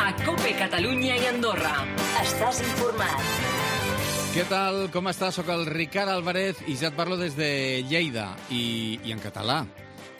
a COPE Catalunya i Andorra. Estàs informat. Què tal? Com estàs? Soc el Ricard Álvarez i ja et parlo des de Lleida i en català.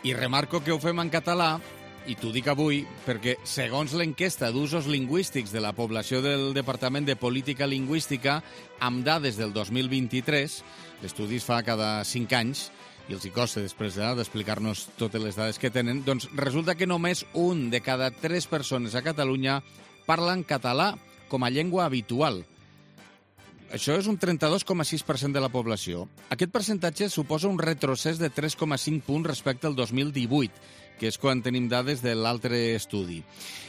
I remarco que ho fem en català, i t'ho dic avui, perquè segons l'enquesta d'usos lingüístics de la població del Departament de Política Lingüística, amb dades del 2023, l'estudi es fa cada 5 anys, i els hi costa després d'explicar-nos totes les dades que tenen, doncs resulta que només 1 de cada 3 persones a Catalunya parlen català com a llengua habitual. Això és un 32,6% de la població. Aquest percentatge suposa un retrocés de 3,5 punts respecte al 2018, que és quan tenim dades de l'altre estudi.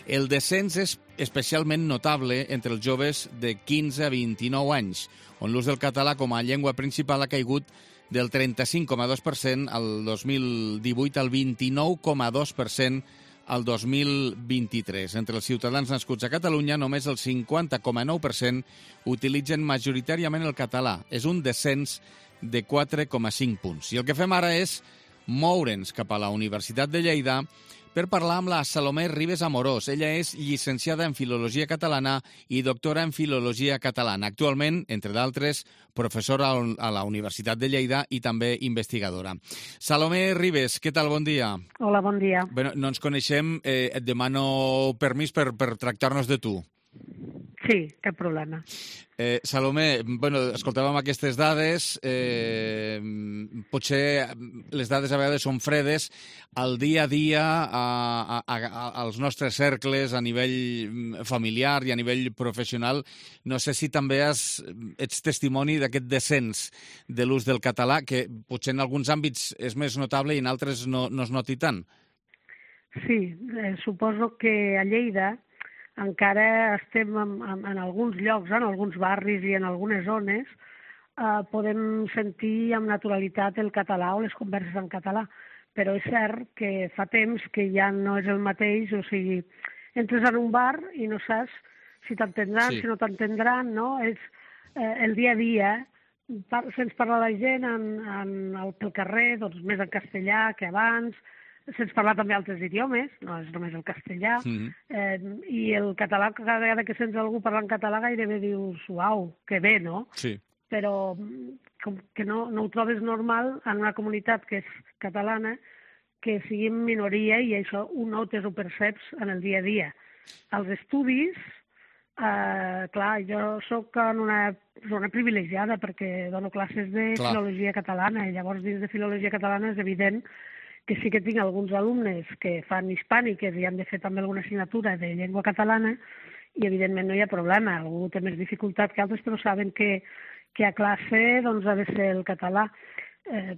El descens és especialment notable entre els joves de 15 a 29 anys, on l'ús del català com a llengua principal ha caigut del 35,2% al 2018 al 29,2% al 2023. Entre els ciutadans nascuts a Catalunya, només el 50,9% utilitzen majoritàriament el català. És un descens de 4,5 punts. I el que fem ara és moure'ns cap a la Universitat de Lleida per parlar amb la Salomé Ribes Amorós. Ella és llicenciada en Filologia Catalana i doctora en Filologia Catalana. Actualment, entre d'altres, professora a la Universitat de Lleida i també investigadora. Salomé Ribes, què tal? Bon dia. Hola, bon dia. Bé, no ens coneixem. Et demano permís per tractar-nos de tu. Sí, cap problema. Salomé, escoltàvem aquestes dades, potser les dades a vegades són fredes, al dia a dia, als nostres cercles, a nivell familiar i a nivell professional. No sé si també ets testimoni d'aquest descens de l'ús del català, que potser en alguns àmbits és més notable i en altres no es noti tant. Sí, suposo que a Lleida encara estem en alguns llocs, en alguns barris i en algunes zones, podem sentir amb naturalitat el català o les converses en català, però és cert que fa temps que ja no és el mateix, o sigui, entres en un bar i no saps si t'entendran, si no t'entendran, no? És el dia a dia, sents parlar la gent pel carrer, doncs més en castellà que abans, sents parlar també altres idiomes, no és només el castellà, i el català, cada vegada que sents algú parlant català gairebé dius, uau, que bé, no? Sí. Però com que no ho trobes normal en una comunitat que és catalana, que sigui en minoria i això ho notes, ho perceps en el dia a dia. Els estudis, clar, jo soc en una zona privilegiada perquè dono classes de filologia catalana i llavors dins de filologia catalana és evident que sí que tinc alguns alumnes que fan hispàniques i han de fer també alguna assignatura de llengua catalana i evidentment no hi ha problema, algú té més dificultat que altres, però saben que a classe doncs, ha de ser el català.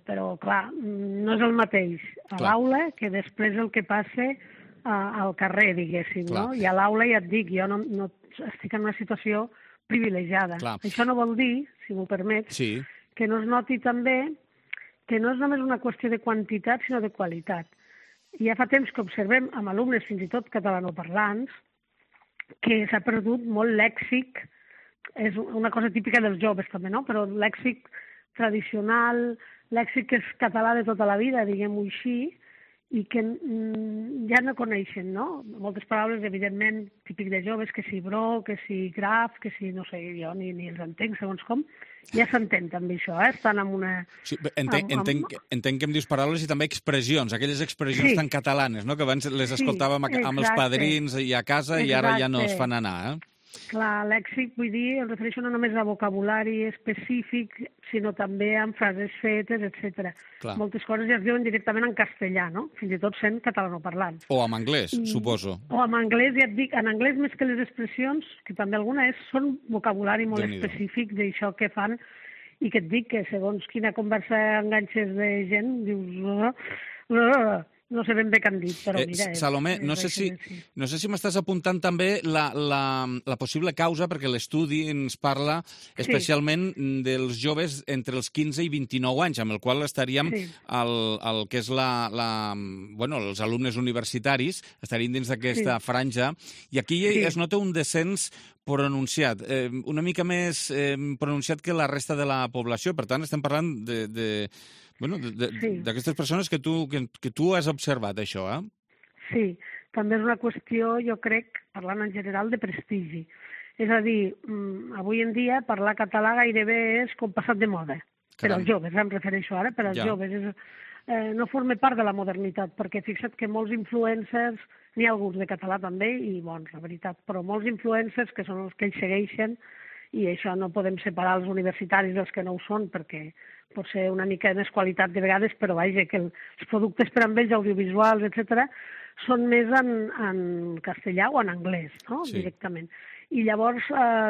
Però, clar, no és el mateix a l'aula que després el que passa al carrer, diguéssim, no? I a l'aula ja et dic, jo no estic en una situació privilegiada. Això no vol dir, si m'ho permets, que no es noti també que no és només una qüestió de quantitat, sinó de qualitat. I ja fa temps que observem amb alumnes, fins i tot catalanoparlants, que s'ha perdut molt lèxic, és una cosa típica dels joves també, no? Però lèxic tradicional, lèxic que és català de tota la vida, diguem-ho així, i que ja no coneixen, no? Moltes paraules, evidentment, típic de joves, que si bro, que si graf, que si, no sé, jo ni els entenc, segons com. Ja s'entén també això, estan en una... Sí, entenc que em dius paraules i també expressions, aquelles expressions tan catalanes, no? Que abans les escoltàvem amb els padrins i a casa i ara ja no es fan anar, Clar, lèxic, vull dir, em refereixo no només a vocabulari específic, sinó també amb frases fetes, etc. Moltes coses ja es diuen directament en castellà, no? Fins i tot sent catalanoparlants. O en anglès, suposo. O en anglès, ja et dic, en anglès més que les expressions, que també alguna són vocabulari molt específic d'això que fan, i que et dic que segons quina conversa enganxes de gent, dius... No sé ben bé què han dit, però mira... Salomé, no sé si m'estàs apuntant també la possible causa, perquè l'estudi ens parla especialment dels joves entre els 15 i 29 anys, amb el qual estaríem el que és els alumnes universitaris, estaríem dins d'aquesta franja, i aquí es nota un descens pronunciat, una mica més pronunciat que la resta de la població. Per tant, estem parlant d'aquestes persones que tu has observat, això, Sí, també és una qüestió, jo crec, parlant en general, de prestigi. És a dir, avui en dia parlar català gairebé és com passat de moda. Per als joves, em refereixo ara, per als joves. No forma part de la modernitat, perquè fixa't que molts influencers, n'hi ha alguns de català també, i bons, la veritat, però molts influencers que són els que ells segueixen, i això no podem separar els universitaris dels que no ho són, perquè pot ser una mica més qualitat de vegades, però vaja, que els productes per amb ells, audiovisuals, etc., són més en castellà o en anglès, no? Sí. Directament. I llavors,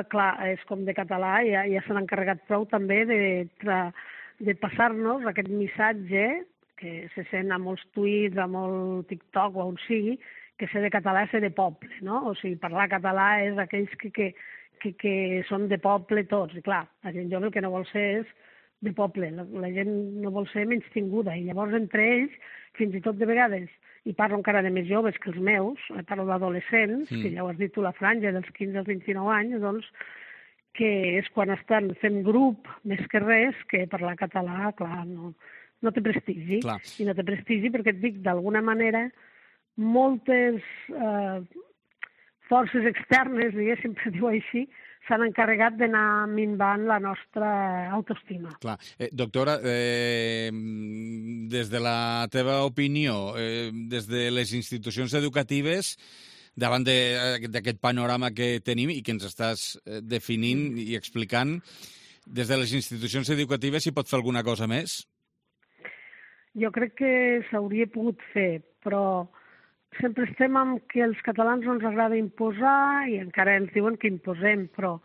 clar, és com de català, ja se n'ha encarregat prou també de passar-nos aquest missatge que se sent a molts tuits, a molt TikTok o on sigui, que ser de català és ser de poble, no? O sigui, parlar català és aquells que són de poble tots. I clar, la gent jove el que no vol ser és de poble, la gent no vol ser menystinguda. I llavors entre ells, fins i tot de vegades, i parlo encara de més joves que els meus, parlo d'adolescents, que ja ho has dit tu, la franja dels 15 als 29 anys, doncs, que és quan estan fent grup més que res, que parlar català, clar, no té prestigi. Clar. I no té prestigi perquè et dic, d'alguna manera, moltes forces externes, diguéssim, per dir-ho així, s'han encarregat d'anar minvant la nostra autoestima. Clar. Doctora, des de la teva opinió, des de les institucions educatives, davant d'aquest panorama que tenim i que ens estàs definint i explicant, des de les institucions educatives s'hi pot fer alguna cosa més? Jo crec que s'hauria pogut fer, però sempre estem amb que els catalans no ens agrada imposar i encara ens diuen que imposem, però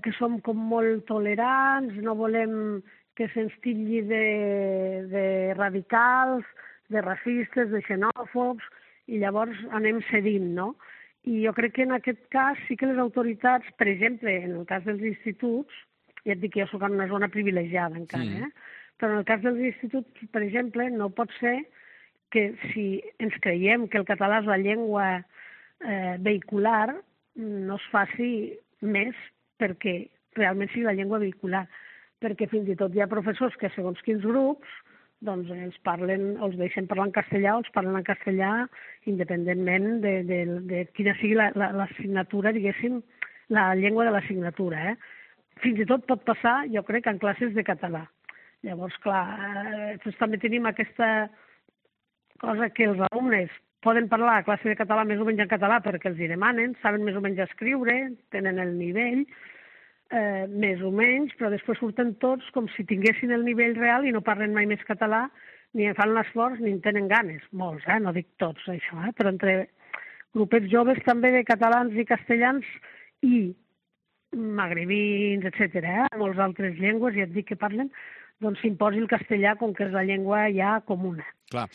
que som com molt tolerants, no volem que se'ns titlli de radicals, de racistes, de xenòfobs, i llavors anem cedint, no? I jo crec que en aquest cas sí que les autoritats, per exemple, en el cas dels instituts, ja et dic que jo soc en una zona privilegiada encara, però en el cas dels instituts, per exemple, no pot ser que si ens creiem que el català és la llengua vehicular, no es faci més perquè realment sigui la llengua vehicular. Perquè fins i tot hi ha professors que segons quins grups doncs els deixen parlar en castellà o els parlen en castellà independentment de quina sigui l'assignatura, diguéssim, la llengua de l'assignatura. Fins i tot pot passar, jo crec, en classes de català. Llavors, clar, també tenim aquesta cosa que els alumnes poden parlar a classe de català més o menys en català perquè els hi demanen, saben més o menys escriure, tenen el nivell, més o menys, però després surten tots com si tinguessin el nivell real i no parlen mai més català, ni en fan l'esforç ni en tenen ganes. Molts, no dic tots, això, però entre grupets joves també de catalans i castellans i magrebins, etc., molts altres llengües, ja et dic que parlen, doncs s'imposi el castellà com que és la llengua ja comuna. Clar,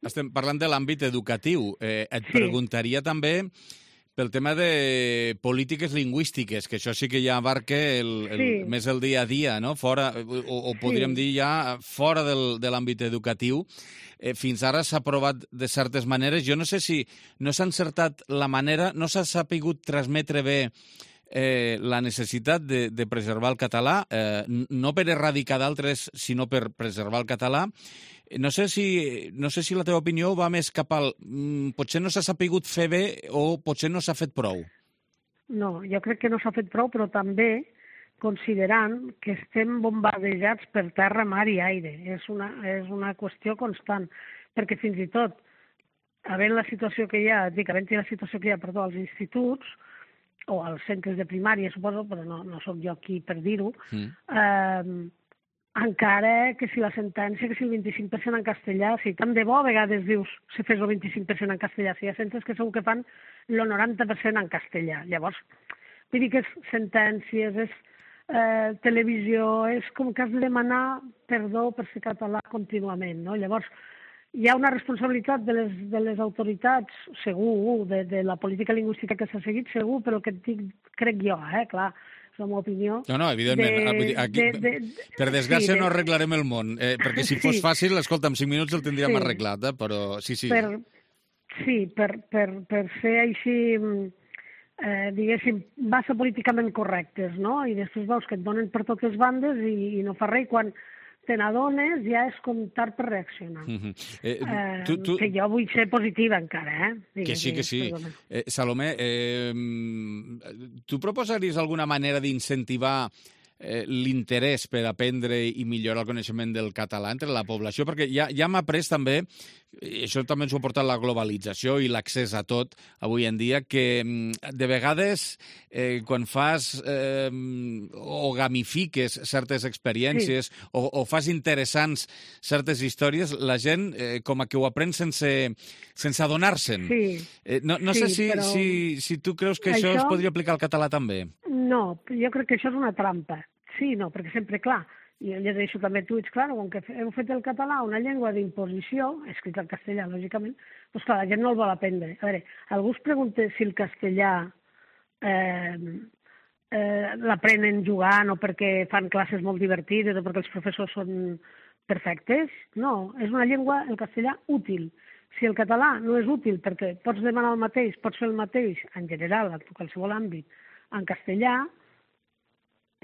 estem parlant de l'àmbit educatiu. Et preguntaria també pel tema de polítiques lingüístiques, que això sí que ja abarca més el dia a dia, no? Fora, o podríem dir ja fora de l'àmbit educatiu. Fins ara s'ha aprovat de certes maneres. Jo no sé si no s'ha encertat la manera, no s'ha sapigut transmetre bé la necessitat de preservar el català, no per erradicar d'altres, sinó per preservar el català. No sé si la teva opinió va més cap al... Potser no s'ha sapigut fer bé o potser no s'ha fet prou. No, jo crec que no s'ha fet prou, però també considerant que estem bombardejats per terra, mar i aire. És una qüestió constant, perquè fins i tot, havent la situació que hi ha, als instituts, o als centres de primària, suposo, però no sóc jo aquí per dir-ho, encara que si la sentència, que si el 25% en castellà, si tant de bo a vegades dius se fes el 25% en castellà, si hi ha centres que segur que fan el 90% en castellà. Llavors, vull dir que és sentències, és televisió, és com que has de demanar perdó per ser català contínuament, no? Llavors, hi ha una responsabilitat de les autoritats, segur, de la política lingüística que s'ha seguit, segur, però el que et dic, crec jo, clar, és la meva opinió. No, evidentment. Per desgràcia no arreglarem el món, perquè si fos fàcil, escolta, en 5 minuts el tindríem arreglat, però sí. Per ser així, diguéssim, massa políticament correctes, no? I després veus que et donen per totes bandes i no fa res, quan te n'adones, ja és com tard per reaccionar. Que jo vull ser positiva encara, Que sí. Salomé, tu proposaries alguna manera d'incentivar l'interès per aprendre i millorar el coneixement del català entre la població? Perquè ja hem après també, i això també ens ho ha portat la globalització i l'accés a tot avui en dia, que de vegades quan fas o gamifiques certes experiències o fas interessants certes històries, la gent com a que ho aprèn sense adonar-se'n. No sé si tu creus que això es podria aplicar al català també. No, jo crec que això és una trampa. Sí, no, perquè sempre, clar, jo llegeixo també tuits, clar, com que heu fet el català una llengua d'imposició, escrit en castellà, lògicament, doncs clar, la gent no el vol aprendre. A veure, algú es pregunta si el castellà l'aprenen jugant o perquè fan classes molt divertides o perquè els professors són perfectes. No, és una llengua, el castellà, útil. Si el català no és útil perquè pots demanar el mateix, pots fer el mateix, en general, en qualsevol àmbit, en castellà,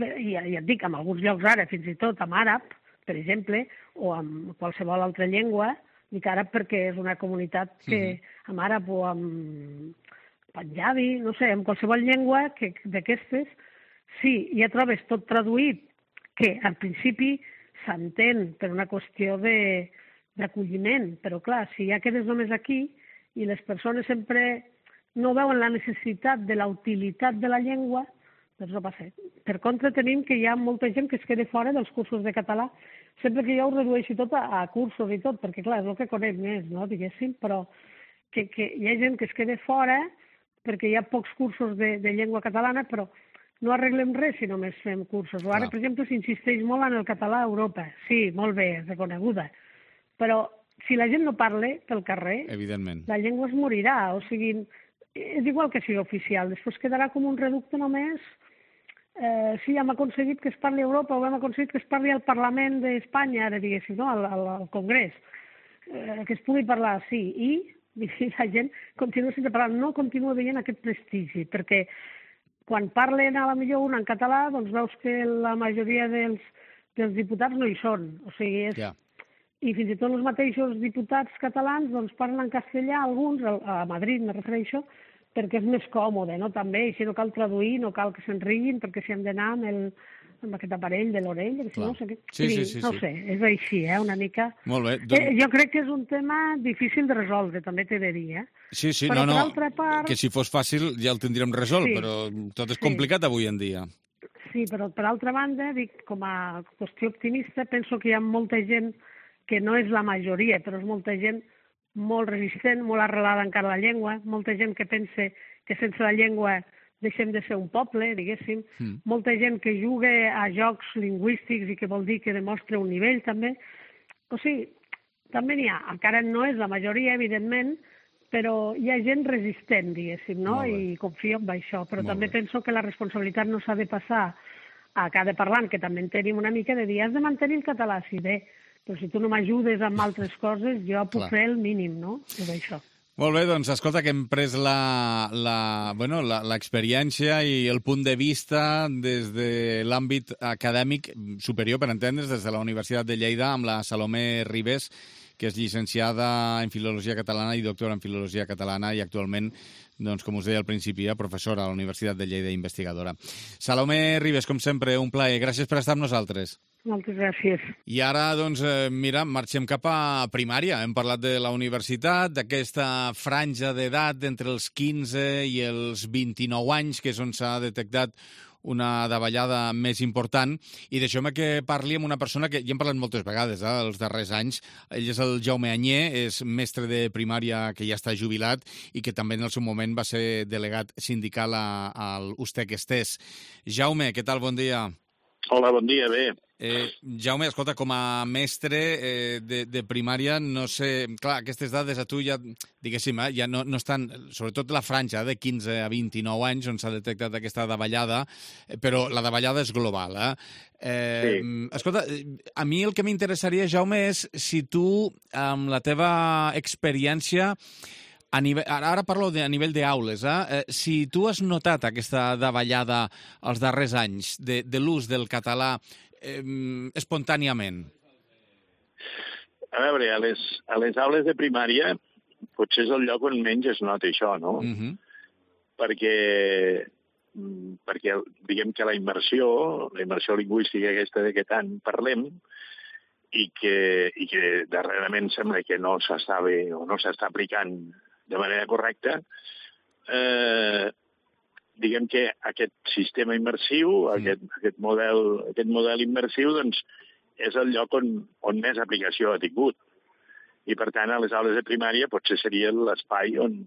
i ja et dic, en alguns llocs ara, fins i tot en àrab, per exemple, o en qualsevol altra llengua, dic àrab perquè és una comunitat que en àrab o en panjabi, no sé, en qualsevol llengua d'aquestes, sí, ja trobes tot traduït, que al principi s'entén per una qüestió d'acolliment, però clar, si ja quedes només aquí i les persones sempre no veuen la necessitat de la utilitat de la llengua, doncs no passa. Per contra, tenim que hi ha molta gent que es queda fora dels cursos de català, sempre que jo ho redueixi tot a cursos i tot, perquè clar, és el que conec més, no?, diguéssim, però que hi ha gent que es queda fora perquè hi ha pocs cursos de llengua catalana, però no arreglem res si només fem cursos. O ara, per exemple, s'insisteix molt en el català a Europa. Sí, molt bé, reconeguda. Però si la gent no parla pel carrer, evidentment, la llengua es morirà. O sigui, és igual que sigui oficial. Després quedarà com un reducte només. Sí, hem aconseguit que es parli a Europa o hem aconseguit que es parli al Parlament d'Espanya, ara diguéssim, no? Al Congrés. Que es pugui parlar, sí. I la gent continua sense parlar. No continua veient aquest prestigi, perquè quan parlen a la millor una en català, doncs veus que la majoria dels diputats no hi són. O sigui, i fins i tot els mateixos diputats catalans doncs parlen en castellà, alguns, a Madrid me refereixo, perquè és més còmode, no? També, així no cal traduir, no cal que se'n riguin, perquè si han d'anar amb aquest aparell de l'orella, que si no sé què... Sí. No sé, és així, una mica... Molt bé. Jo crec que és un tema difícil de resoldre, també t'he de dir, Sí, però no, per altra part... que si fos fàcil ja el tindríem resolt, però tot és complicat avui en dia. Sí, però per altra banda, dic, com a qüestió optimista, penso que hi ha molta gent que no és la majoria, però és molta gent molt resistent, molt arrelada encara a la llengua, molta gent que pensa que sense la llengua deixem de ser un poble, diguéssim, molta gent que juga a jocs lingüístics i que vol dir que demostra un nivell, també. O sigui, també n'hi ha. Encara no és la majoria, evidentment, però hi ha gent resistent, diguéssim, no? I confio en això. Però també penso que la responsabilitat no s'ha de passar a cada parlant, que també en tenim una mica de dir, has de mantenir el català, sí, bé, però si tu no m'ajudes amb altres coses, jo puc fer el mínim, no? És això. Molt bé, doncs escolta, que hem pres l'experiència i el punt de vista des de l'àmbit acadèmic superior, per entendre's, des de la Universitat de Lleida, amb la Salomé Ribes, que és llicenciada en Filologia Catalana i doctora en Filologia Catalana i actualment, doncs, com us deia al principi, professora a la Universitat de Lleida i investigadora. Salomé Ribes, com sempre, un plaer. Gràcies per estar amb nosaltres. Moltes gràcies. I ara, doncs, mira, marxem cap a primària. Hem parlat de la universitat, d'aquesta franja d'edat entre els 15 i els 29 anys, que és on s'ha detectat una davallada més important, i deixeu-me que parli amb una persona que ja hem parlat moltes vegades els darrers anys. Ell és el Jaume Anyé, és mestre de primària que ja està jubilat i que també en el seu moment va ser delegat sindical al USTEC Estés. Jaume, què tal? Bon dia. Hola, bon dia, bé. Jaume, escolta, com a mestre de primària, no sé... Clar, aquestes dades a tu ja, diguéssim, ja no estan... Sobretot la franja de 15 a 29 anys on s'ha detectat aquesta davallada, però la davallada és global, Sí. Escolta, a mi el que m'interessaria, Jaume, és si tu, amb la teva experiència... Ara parlo a nivell d'aules. Si tu has notat aquesta davallada els darrers anys de l'ús del català espontàniament. A veure, a les aules de primària potser és el lloc on menys es nota això, no? Perquè diguem que la immersió lingüística aquesta de què tant parlem i que darrerament sembla que no s'està bé o no s'està aplicant de manera correcta, diguem que aquest sistema immersiu, aquest model immersiu, doncs, és el lloc on més aplicació ha tingut. I, per tant, a les aules de primària potser seria l'espai on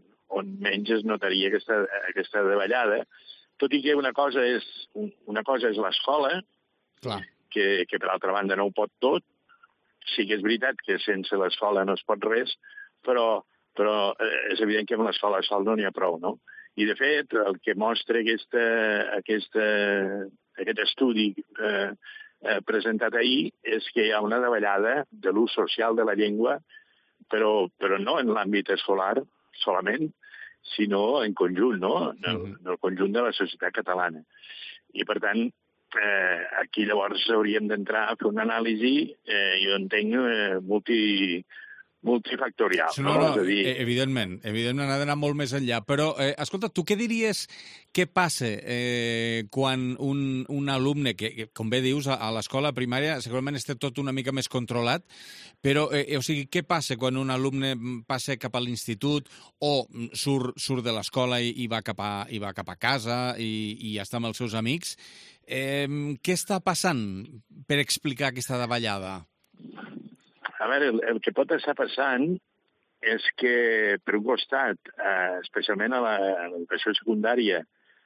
menys es notaria aquesta davallada, tot i que una cosa és l'escola, que per altra banda no ho pot tot. Sí que és veritat que sense l'escola no es pot res, però és evident que amb l'escola sol no n'hi ha prou, no? I, de fet, el que mostra aquest estudi presentat ahir és que hi ha una davallada de l'ús social de la llengua, però no en l'àmbit escolar solament, sinó en conjunt, no? En el conjunt de la societat catalana. I, per tant, aquí llavors hauríem d'entrar a fer una anàlisi, jo entenc, multifactorial. No, evidentment, ha d'anar molt més enllà. Però, escolta, tu què diries que passa quan un alumne, que com bé dius, a l'escola primària segurament està tot una mica més controlat, però, o sigui, què passa quan un alumne passa cap a l'institut o surt de l'escola i va cap a casa i està amb els seus amics? Què està passant per explicar aquesta davallada? A veure, el que pot estar passant és que, per un costat, especialment a l'educació secundària,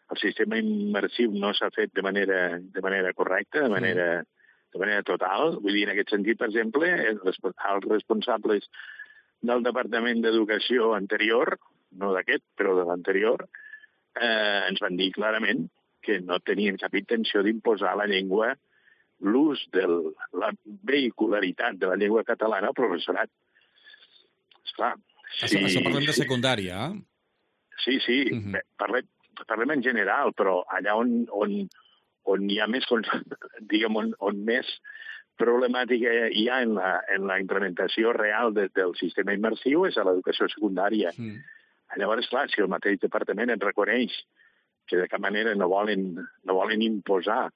el sistema immersiu no s'ha fet de manera correcta, de manera total. Vull dir, en aquest sentit, per exemple, els responsables del Departament d'Educació anterior, no d'aquest, però de l'anterior, ens van dir clarament que no tenien cap intenció d'imposar la llengua, l'ús de la vehicularitat de la llengua catalana al professorat. Esclar, Això parlem de secundària, eh? Sí. Parlem en general, però allà on hi ha més, diguem, on més problemàtica hi ha en la implementació real del sistema immersiu és a l'educació secundària. Llavors, clar, si el mateix departament et reconeix que de cap manera no volen imposar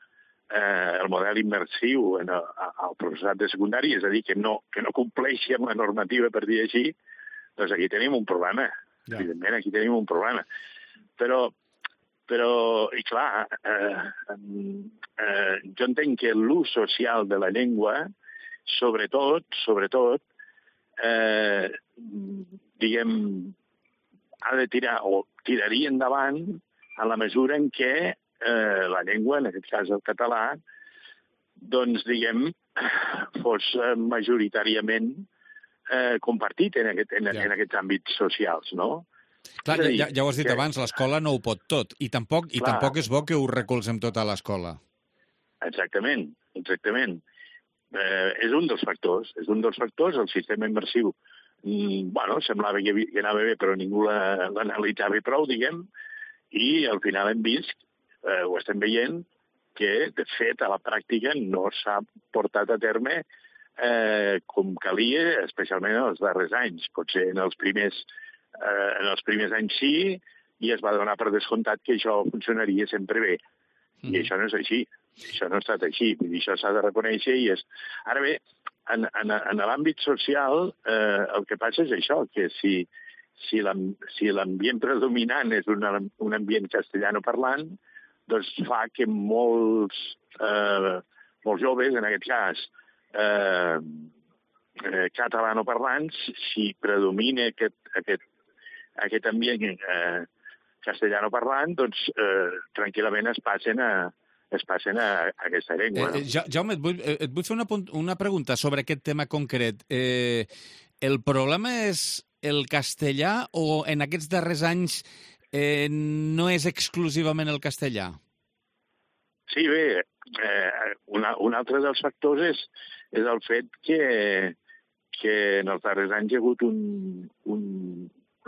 el model immersiu al professorat de secundària, és a dir, que no compleixi amb la normativa, per dir així, doncs aquí tenim un problema. Evidentment, aquí tenim un problema. Però i clar, jo entenc que l'ús social de la llengua, sobretot, diguem, ha de tirar, o tiraria endavant en la mesura en què la llengua, en aquest cas el català, doncs, diguem, fos majoritàriament compartit en aquests àmbits socials, no? Clar, ja ho has dit abans, l'escola no ho pot tot, i tampoc és bo que ho recolzem tot a l'escola. Exactament. És un dels factors, el sistema immersiu. Semblava que anava bé, però ningú l'analitzava prou, diguem, i al final hem vist, ho estem veient, que, de fet, a la pràctica no s'ha portat a terme com calia, especialment en els darrers anys. Potser en els primers anys sí, i es va donar per descomptat que això funcionaria sempre bé. I això no és així. Això no ha estat així. Vull dir, això s'ha de reconèixer i és... Ara bé, en l'àmbit social, el que passa és això, que si l'ambient predominant és un ambient castellanoparlant, doncs fa que molts joves, en aquest cas, catalanoparlants, si predomina aquest ambient castellanoparlant, doncs tranquil·lament es passen a aquesta llengua. Jaume, et vull fer una pregunta sobre aquest tema concret. El problema és el castellà o en aquests darrers anys no és exclusivament el castellà? Sí, bé, un altre dels factors és el fet que en els darrers anys hi ha hagut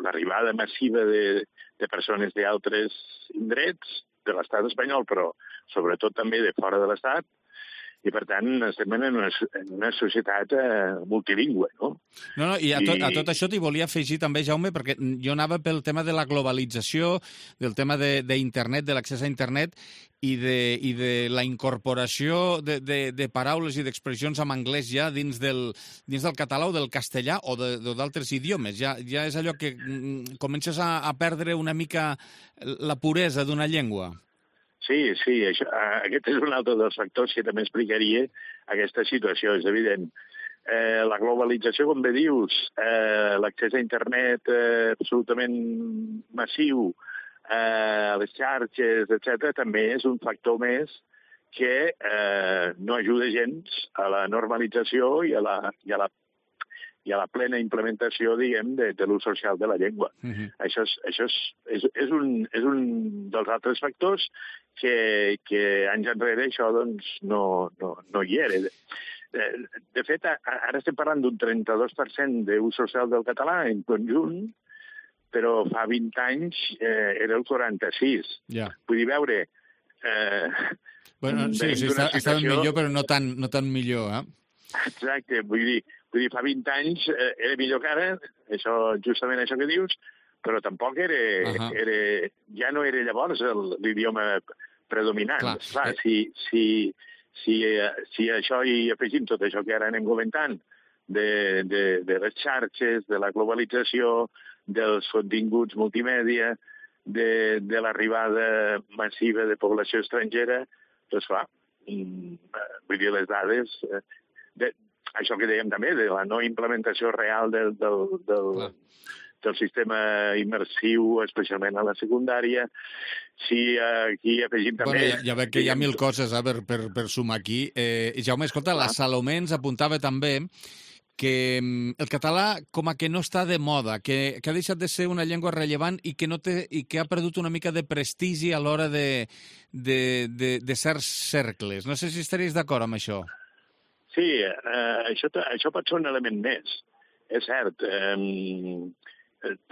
l'arribada massiva de persones d'altres indrets de l'estat espanyol, però sobretot també de fora de l'estat, i per tant estem en una societat multilingüe, no? No, i a tot això t'hi volia afegir també, Jaume, perquè jo anava pel tema de la globalització, del tema d'internet, de l'accés a internet i de la incorporació de paraules i d'expressions en anglès ja dins del català o del castellà o d'altres idiomes. Ja és allò que comences a perdre una mica la puresa d'una llengua. Sí, aquest és un altre dels factors que també explicaria aquesta situació, és evident. La globalització, com bé dius, l'accés a internet absolutament massiu, les xarxes, etc., també és un factor més que no ajuda gens a la normalització i a la plena implementació, diguem, de l'ús social de la llengua. Això és un dels altres factors que anys enrere això doncs, no hi era. De fet, ara estem parlant d'un 32% d'ús social del català en conjunt, però fa 20 anys era el 46. Ja. Vull dir, veure... Sí, estava millor, però no tan millor, eh? Exacte, vull dir, fa 20 anys era millor que ara, justament això que dius, però tampoc ja no era llavors l'idioma predominant. Clar, si això hi afegim tot això que ara anem comentant, de les xarxes, de la globalització, dels continguts multimèdia, de l'arribada massiva de població estrangera, doncs clar, vull dir, les dades... Això que dèiem també, de la no implementació real del sistema immersiu, especialment a la secundària. Si aquí afegim també... Ja veig que hi ha mil coses per sumar aquí. Jaume, escolta, la Salomé ens apuntava també que el català com a que no està de moda, que ha deixat de ser una llengua rellevant i que ha perdut una mica de prestigi a l'hora de certs cercles. No sé si estaries d'acord amb això. Sí, això pot ser un element més, és cert.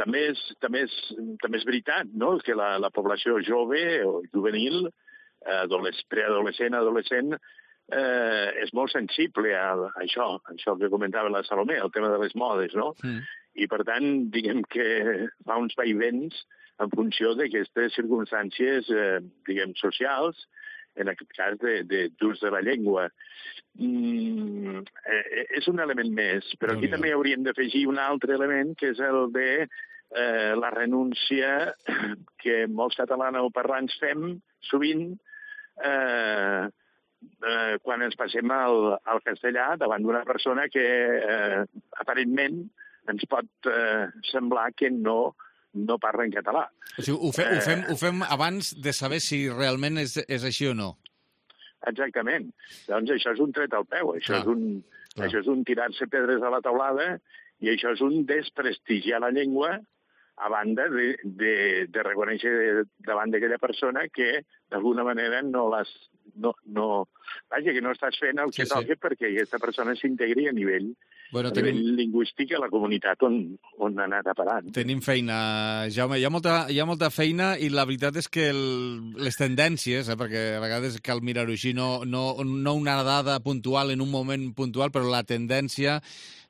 També és veritat, no?, que la població jove o juvenil, preadolescent, adolescent, és molt sensible a això que comentava la Salomé, el tema de les modes, no? I, per tant, diguem que fa uns vaivens en funció d'aquestes circumstàncies, diguem, socials, en aquest cas d'ús de la llengua. És un element més, però aquí també hauríem d'afegir un altre element, que és el de la renúncia que molts catalanoparlants fem sovint quan ens passem al castellà davant d'una persona que aparentment ens pot semblar que no parla en català. O sigui, ho fem abans de saber si realment és així o no. Exactament. Doncs això és un tret al peu, això és un tirar-se pedres a la taulada i això és un desprestigiar la llengua a banda de reconèixer davant d'aquella persona que d'alguna manera que no estàs fent el que toca perquè aquesta persona s'integri a nivell lingüístic a la comunitat on ha anat a parar. Tenim feina, Jaume. Hi ha molta feina i la veritat és que les tendències, perquè a vegades cal mirar-ho així, no una dada puntual en un moment puntual, però la tendència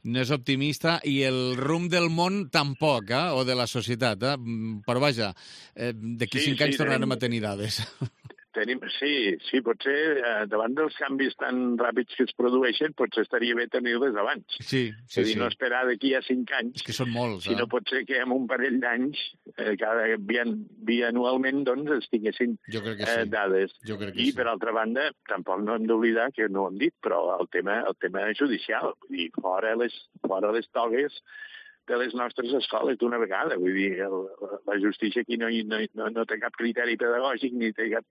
no és optimista i el rumb del món tampoc, o de la societat. Però vaja, d'aquí 5 anys tornarem a tenir dades. Sí, potser davant dels canvis tan ràpids que es produeixen, potser estaria bé tenir-les abans. Sí. No esperar d'aquí a 5 anys. És que són molts, sinó potser que en un parell d'anys, bianualment, doncs, es tinguessin dades. I, per altra banda, tampoc no hem d'oblidar, que no ho hem dit, però el tema judicial, vull dir, fora les togues de les nostres escoles d'una vegada. Vull dir, la justícia aquí no té cap criteri pedagògic ni té cap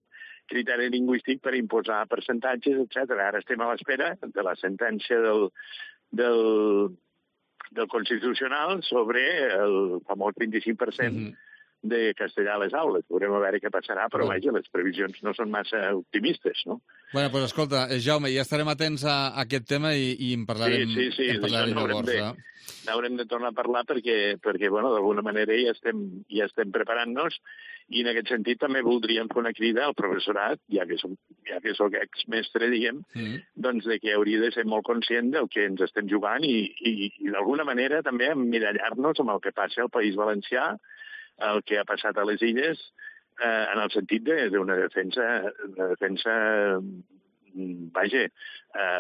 criteri lingüístic per imposar percentatges, etc. Ara estem a l'espera de la sentència del Constitucional sobre el famós 25% de castellà a les aules. Veurem a veure què passarà, però vaja, les previsions no són massa optimistes, no? Bueno, doncs escolta, Jaume, ja estarem atents a aquest tema i en parlarem, sí. en parlarem llavors. N'haurem de tornar a parlar perquè bueno, d'alguna manera ja estem preparant-nos, i en aquest sentit també voldríem fer una crida al professorat, ja que soc exmestre, diguem, doncs de que hauria de ser molt conscient del que ens estem jugant i d'alguna manera també emmirallar-nos amb el que passa al País Valencià, el que ha passat a les Illes, en el sentit d'una defensa vaja,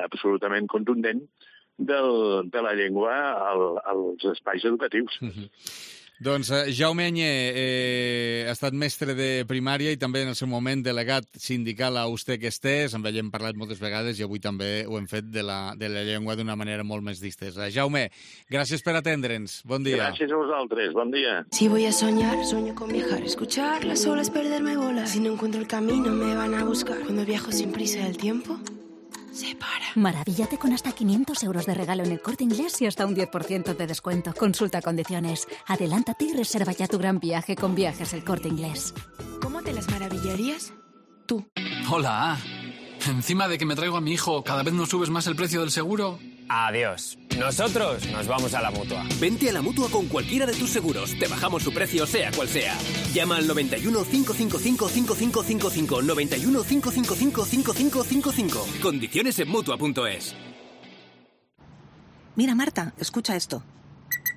absolutament contundent de la llengua als espais educatius. Doncs Jaume Anyé ha estat mestre de primària i també en el seu moment delegat sindical a Ustec Estés. Amb ell hem parlat moltes vegades i avui també ho hem fet de la llengua d'una manera molt més distesa. Jaume, gràcies per atendre'ns. Bon dia. Gràcies a vosaltres. Bon dia. Si voy a soñar, sueño con viajar, escuchar las olas, perderme, volar. Si no encuentro el camino, me van a buscar. Cuando viajo sin prisa, el tiempo se para. Maravíllate con hasta 500 euros de regalo en el Corte Inglés y hasta un 10% de descuento. Consulta condiciones. Adelántate y reserva ya tu gran viaje con Viajes El Corte Inglés. ¿Cómo te las maravillarías? Tú. Hola. Encima de que me traigo a mi hijo, ¿cada vez nos subes más el precio del seguro? Adiós. Nosotros nos vamos a la Mutua. Vente a la Mutua con cualquiera de tus seguros. Te bajamos su precio, sea cual sea. Llama al 91 555 5555. 91 555 5555. Condiciones en Mutua.es. Mira, Marta, escucha esto.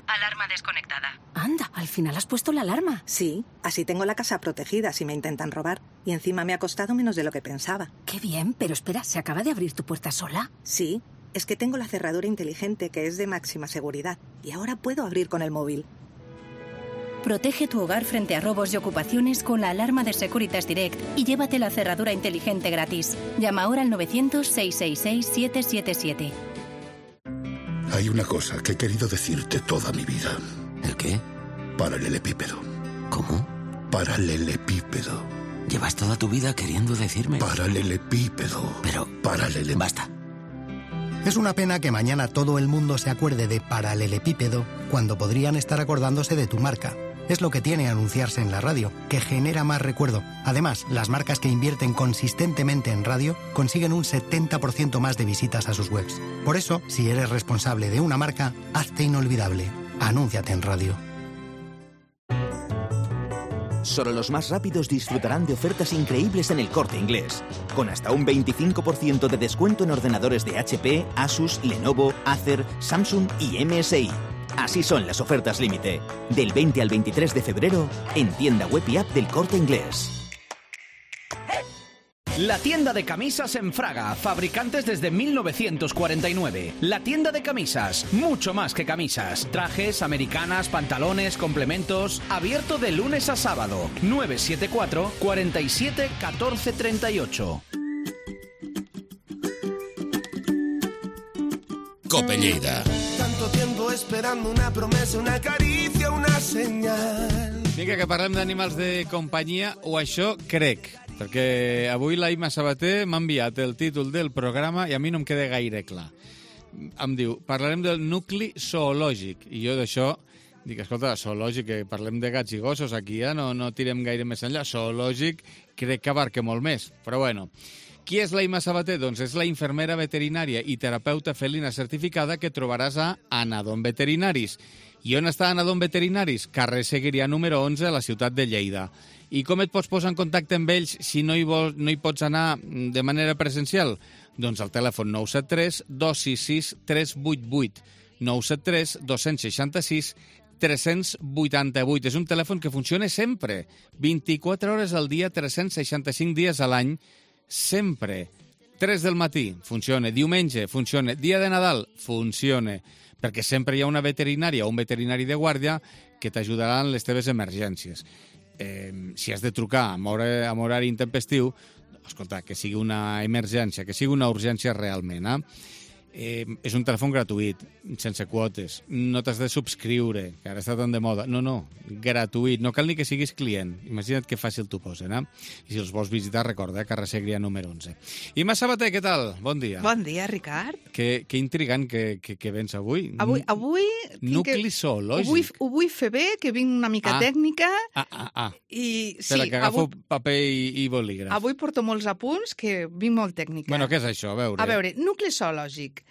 Alarma desconectada. Anda, al final has puesto la alarma. Sí, así tengo la casa protegida si me intentan robar. Y encima me ha costado menos de lo que pensaba. Qué bien, pero espera, ¿se acaba de abrir tu puerta sola? Sí, es que tengo la cerradura inteligente que es de máxima seguridad. Y ahora puedo abrir con el móvil. Protege tu hogar frente a robos y ocupaciones con la alarma de Securitas Direct y llévate la cerradura inteligente gratis. Llama ahora al 900-666-777. Hay una cosa que he querido decirte toda mi vida. ¿El qué? Paralelepípedo. ¿Cómo? Paralelepípedo. ¿Llevas toda tu vida queriendo decirme? Paralelepípedo. Pero... Basta. Es una pena que mañana todo el mundo se acuerde de paralelepípedo cuando podrían estar acordándose de tu marca. Es lo que tiene anunciarse en la radio, que genera más recuerdo. Además, las marcas que invierten consistentemente en radio consiguen un 70% más de visitas a sus webs. Por eso, si eres responsable de una marca, hazte inolvidable. Anúnciate en radio. Solo los más rápidos disfrutarán de ofertas increíbles en El Corte Inglés. Con hasta un 25% de descuento en ordenadores de HP, Asus, Lenovo, Acer, Samsung y MSI. Así son las ofertas límite. Del 20 al 23 de febrero, en tienda web y app del Corte Inglés. La tienda de camisas en Fraga, fabricantes desde 1949. La tienda de camisas, mucho más que camisas. Trajes, americanas, pantalones, complementos. Abierto de lunes a sábado. 974 47 14 38. Cope Lleida. Tanto tiempo esperando una promesa, una caricia, una senyal. Vinga, que parlem d'animals de companyia, o això crec, perquè avui la Imma Sabater m'ha enviat el títol del programa i a mi no em queda gaire clar. Em diu, parlarem del nucli zoològic, i jo d'això dic, escolta, zoològic, que parlem de gats i gossos, aquí ja no tirem gaire més enllà, zoològic crec que abarca molt més, però bueno. Qui és la Imma Sabater? Doncs és la infermera veterinària i terapeuta felina certificada que trobaràs a Anadom Veterinaris. I on està Anadom Veterinaris? Carrer Seguirià número 11 a la ciutat de Lleida. I com et pots posar en contacte amb ells si no hi pots anar de manera presencial? Doncs al telèfon 973 266 388. 973 266 388. És un telèfon que funciona sempre, 24 hores al dia, 365 dies a l'any, sempre. 3 del matí, funciona. Diumenge, funciona. Dia de Nadal, funciona. Perquè sempre hi ha una veterinària o un veterinari de guàrdia que t'ajudarà en les teves emergències. Si has de trucar amb horari intempestiu, escolta, que sigui una emergència, que sigui una urgència realment. És un telèfon gratuït, sense quotes. No t'has de subscriure, que ara està tan de moda. No, gratuït. No cal ni que siguis client. Imagina't que fàcil t'ho posen, eh? I si els vols visitar, recorda, carrer Segrià número 11. Imma Sabater, què tal? Bon dia. Bon dia, Ricard. Que intrigant que vens avui. Avui nucli zoològic. Ho vull fer bé, que vinc una mica tècnica. I, espera, que agafo paper i bolígraf. Avui porto molts apunts, que vinc molt tècnica. Bueno, què és això? A veure, nucli zoològic.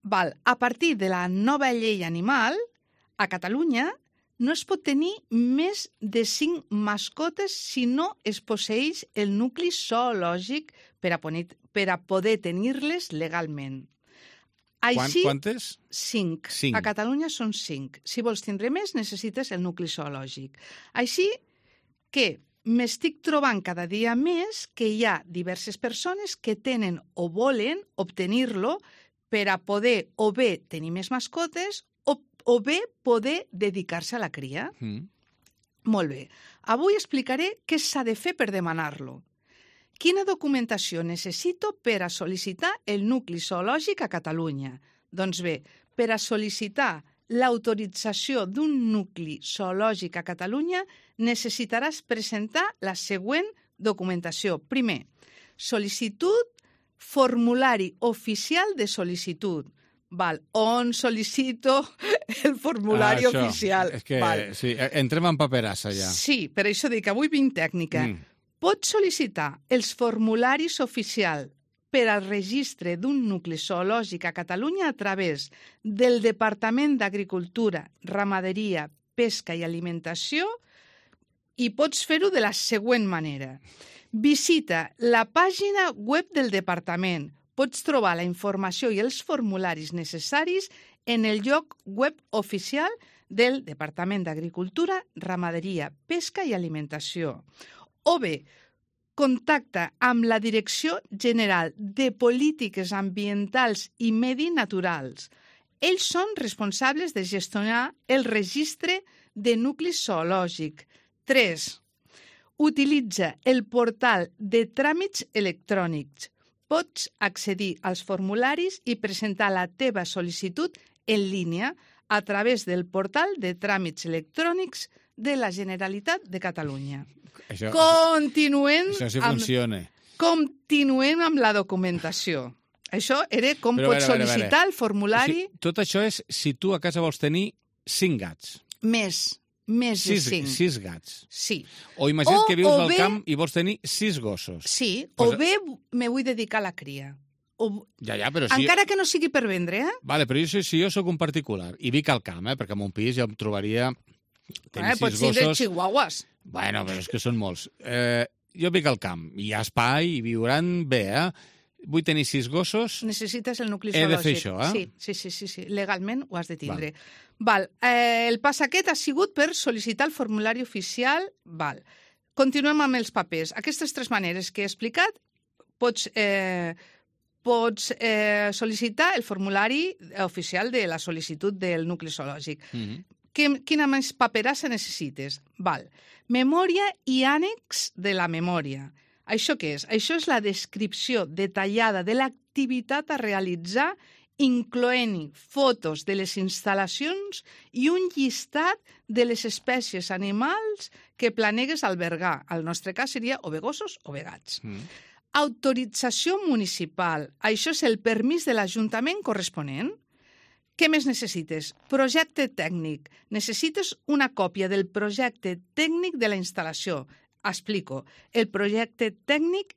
A partir de la nova llei animal, a Catalunya no es pot tenir més de 5 mascotes si no es posseeix el nucli zoològic per a poder tenir-les legalment. Quantes? 5. A Catalunya són 5. Si vols tindre més, necessites el nucli zoològic. Així que m'estic trobant cada dia més que hi ha diverses persones que tenen o volen obtenir-lo per a poder o bé tenir més mascotes o bé poder dedicar-se a la cria. Molt bé. Avui explicaré què s'ha de fer per demanar-lo. Quina documentació necessito per a sol·licitar el nucli zoològic a Catalunya? Doncs bé, per a sol·licitar l'autorització d'un nucli zoològic a Catalunya necessitaràs presentar la següent documentació. Primer, sol·licitud formulari oficial de sol·licitud. On sol·licito el formulari oficial? És que, sí, entrem en paperassa ja. Sí, per això dic que avui vinc tècnica. Pots sol·licitar els formularis oficials per al registre d'un nucli zoològic a Catalunya a través del Departament d'Agricultura, Ramaderia, Pesca i Alimentació i pots fer-ho de la següent manera. Visita la pàgina web del departament. Pots trobar la informació i els formularis necessaris en el lloc web oficial del Departament d'Agricultura, Ramaderia, Pesca i Alimentació. O bé, contacta amb la Direcció General de Polítiques Ambientals i Medi Naturals. Ells són responsables de gestionar el registre de nucli zoològic. 3. Utilitza el portal de tràmits electrònics. Pots accedir als formularis i presentar la teva sol·licitud en línia a través del portal de tràmits electrònics de la Generalitat de Catalunya. Continuem amb la documentació. Això era com pots sol·licitar el formulari... Tot això és si tu a casa vols tenir 5 gats. Més de 5. 6 gats. Sí. O imagina't que vius al camp i vols tenir 6 gossos. Sí, o bé me vull dedicar a la cria. Però si... Encara que no sigui per vendre, Vale, però si jo sóc un particular i vic al camp, perquè en un pis ja em trobaria... Pots ser de chihuahuas. Bueno, però és que són molts. Jo vic al camp, hi ha espai i viuran bé, Vull tenir 6 gossos... Necessites el nucli zoològic. He de fer això, Sí. Legalment ho has de tindre. El pas aquest ha sigut per sol·licitar el formulari oficial. Continuem amb els papers. Aquestes 3 maneres que he explicat, pots sol·licitar el formulari oficial de la sol·licitud del nucli zoològic. Quina més paperassa necessites? Memòria i ànex de la memòria. Això què és? Això és la descripció detallada de l'activitat a realitzar, incloent-hi fotos de les instal·lacions i un llistat de les espècies animals que planegues albergar. Al nostre cas seria o bé gossos o bé gats. Autorització municipal. Això és el permís de l'Ajuntament corresponent. Què més necessites? Projecte tècnic. Necessites una còpia del projecte tècnic de la instal·lació. Explico. El projecte tècnic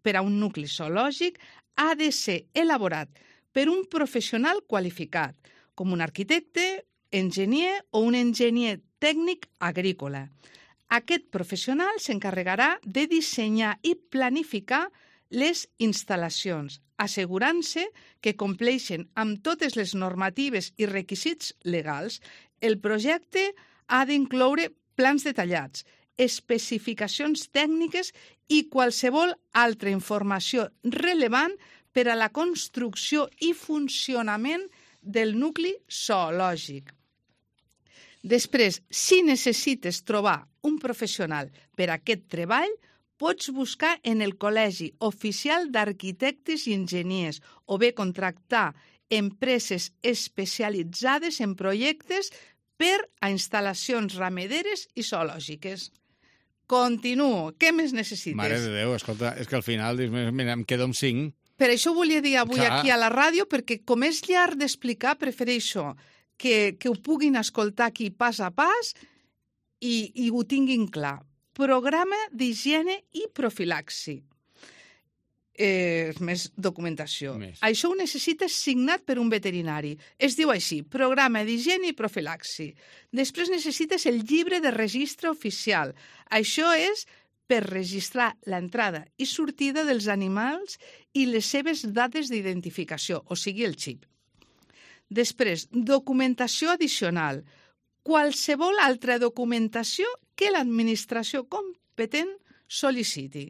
per a un nucli zoològic ha de ser elaborat per un professional qualificat, com un arquitecte, enginyer o un enginyer tècnic agrícola. Aquest professional s'encarregarà de dissenyar i planificar les instal·lacions, assegurant-se que compleixen amb totes les normatives i requisits legals. El projecte ha d'incloure plans detallats, especificacions tècniques i qualsevol altra informació rellevant per a la construcció i funcionament del nucli zoològic. Després, si necessites trobar un professional per a aquest treball, pots buscar en el Col·legi Oficial d'Arquitectes i Enginyers o bé contractar empreses especialitzades en projectes per a instal·lacions ramaderes i zoològiques. Continuo. Què més necessites? Mare de Déu, escolta, és que al final dius, mira, em quedo amb 5. Per això volia dir avui aquí a la ràdio, perquè com és llarg d'explicar, prefereixo que ho puguin escoltar aquí pas a pas i ho tinguin clar. Programa d'higiene i profilaxi. Més documentació. Això ho necessites signat per un veterinari. Es diu així, programa d'higiene i profilaxi. Després necessites el llibre de registre oficial. Això és per registrar l'entrada i sortida dels animals i les seves dades d'identificació, o sigui, el xip. Després, documentació addicional. Qualsevol altra documentació que l'administració competent sol·liciti.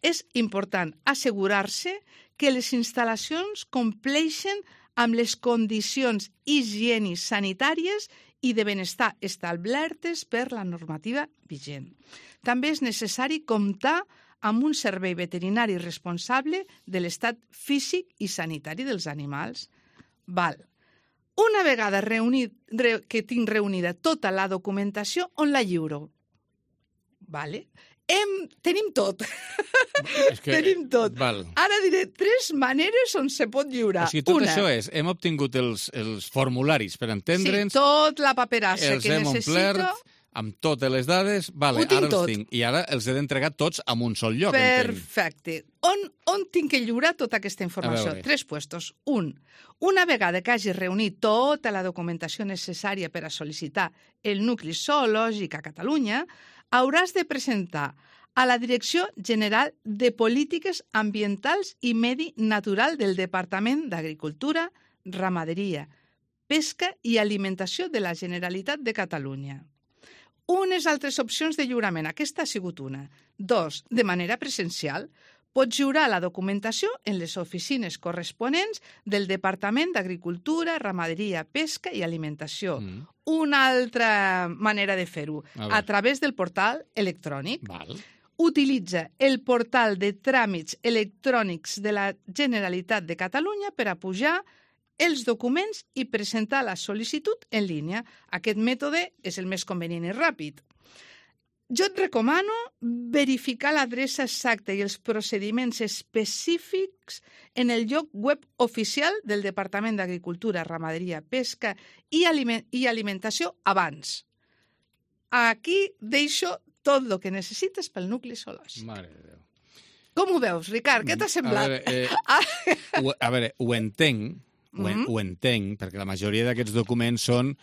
És important assegurar-se que les instal·lacions compleixen amb les condicions higièniques sanitàries i de benestar establertes per la normativa vigent. També és necessari comptar amb un servei veterinari responsable de l'estat físic i sanitari dels animals. Una vegada que tinc reunida tota la documentació, on la lliuro? Tenim tot. Tenim tot. Ara diré 3 maneres on se pot lliurar. O sigui, tot això és, hem obtingut els formularis per entendre'ns. Sí, tot la paperassa que necessito. Els hem omplert amb totes les dades. Ara els tinc. I ara els he d'entregar tots en un sol lloc. Perfecte. On tinc que lliurar tota aquesta informació? 3 puestos. Una vegada que hagis reunit tota la documentació necessària per a sol·licitar el nucli zoològic a Catalunya, hauràs de presentar a la Direcció General de Polítiques Ambientals i Medi Natural del Departament d'Agricultura, Ramaderia, Pesca i Alimentació de la Generalitat de Catalunya. Unes altres opcions de lliurament. Aquesta ha sigut una. 2. De manera presencial. Pots lliurar la documentació en les oficines corresponents del Departament d'Agricultura, Ramaderia, Pesca i Alimentació. Una altra manera de fer-ho, a través del portal electrònic. Utilitza el portal de tràmits electrònics de la Generalitat de Catalunya per a pujar els documents i presentar la sol·licitud en línia. Aquest mètode és el més convenient i ràpid. Jo et recomano verificar l'adreça exacta i els procediments específics en el lloc web oficial del Departament d'Agricultura, Ramaderia, Pesca i Alimentació abans. Aquí deixo tot el que necessites pel nucli zoològic. Mare de Déu. Com ho veus, Ricard? Què t'ha semblat? A veure, ho entenc, perquè la majoria d'aquests documents són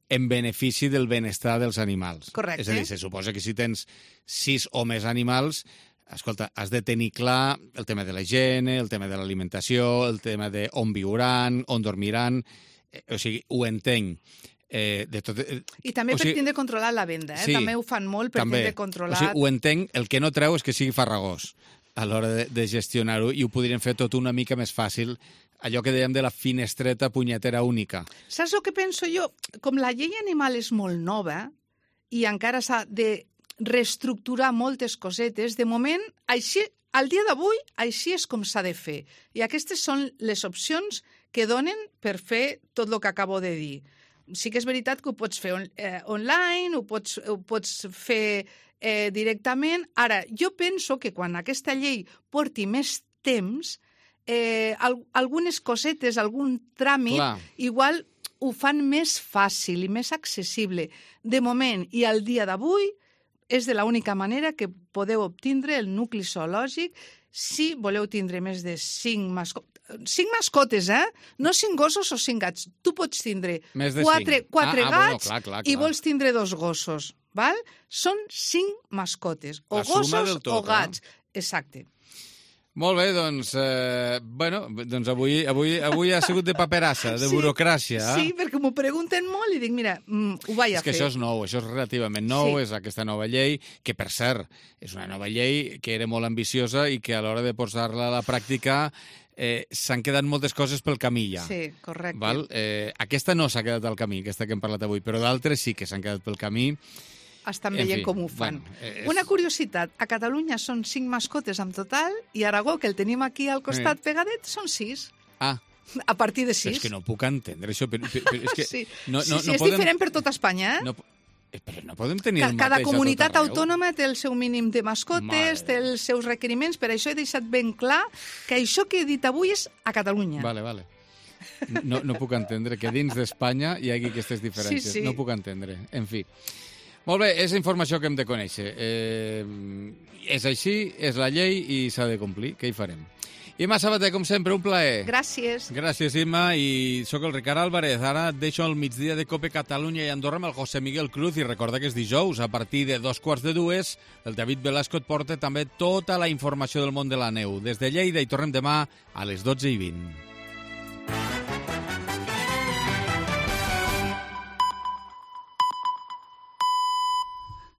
en benefici del benestar dels animals. Correcte. És a dir, se suposa que si tens 6 o més animals, escolta, has de tenir clar el tema de la higiene, el tema de l'alimentació, el tema de on viuran, on dormiran. O sigui, ho entenc. I també per tindre controlat la venda, sí, també ho fan molt per tindre controlat. O sigui, ho entenc, el que no treu és que sigui farragós a l'hora de gestionar-ho i ho podrien fer tot una mica més fàcil, allò que dèiem de la finestreta punyetera única. Saps el que penso jo? Com la llei animal és molt nova i encara s'ha de reestructurar moltes cosetes, de moment, així, al dia d'avui, així és com s'ha de fer. I aquestes són les opcions que donen per fer tot el que acabo de dir. Sí que és veritat que ho pots fer online, ho pots fer directament. Ara, jo penso que quan aquesta llei porti més temps, algunes cosetes, algun tràmit, igual ho fan més fàcil i més accessible. De moment i al dia d'avui és de l'única manera que podeu obtindre el nucli zoològic si voleu tindre més de 5 mascotes. 5 mascotes, No 5 gossos o 5 gats. Tu pots tindre 4 gats i vols tindre 2 gossos. Val? Són 5 mascotes, o gossos o gats. Exacte. Molt bé, doncs avui ha sigut de paperassa, de burocràcia. Sí, perquè m'ho pregunten molt i dic, mira, ho vaig a fer. És que això és nou, això és relativament nou, és aquesta nova llei, que per cert, és una nova llei que era molt ambiciosa i que a l'hora de posar-la a la pràctica s'han quedat moltes coses pel camí ja. Sí, correcte. Aquesta no s'ha quedat al camí, aquesta que hem parlat avui, però d'altres sí que s'han quedat pel camí. Estan veient com ho fan. Una curiositat, a Catalunya són 5 mascotes en total i a Aragó, que el tenim aquí al costat pegadet, són 6. a partir de 6. És que no puc entendre això. Però és que sí, no és podem... diferent per tota Espanya, Però no podem tenir el mateix Cada a tot comunitat arreu. autònoma té el seu mínim de mascotes, té els seus requeriments, per això he deixat ben clar que això que he dit avui és a Catalunya. Vale. No puc entendre que dins d'Espanya hi hagi aquestes diferències. Sí. No puc entendre. En fi. Molt bé, és informació que hem de conèixer. És així, és la llei i s'ha de complir. Què hi farem? Imma Sabater, com sempre, un plaer. Gràcies. Gràcies, Imma, i sóc el Ricard Álvarez. Ara et deixo al migdia de Cope Catalunya i Andorra amb el José Miguel Cruz i recorda que és dijous, a partir de 2:45, el David Velasco et porta també tota la informació del món de la neu. Des de Lleida hi tornem demà a les 12:20.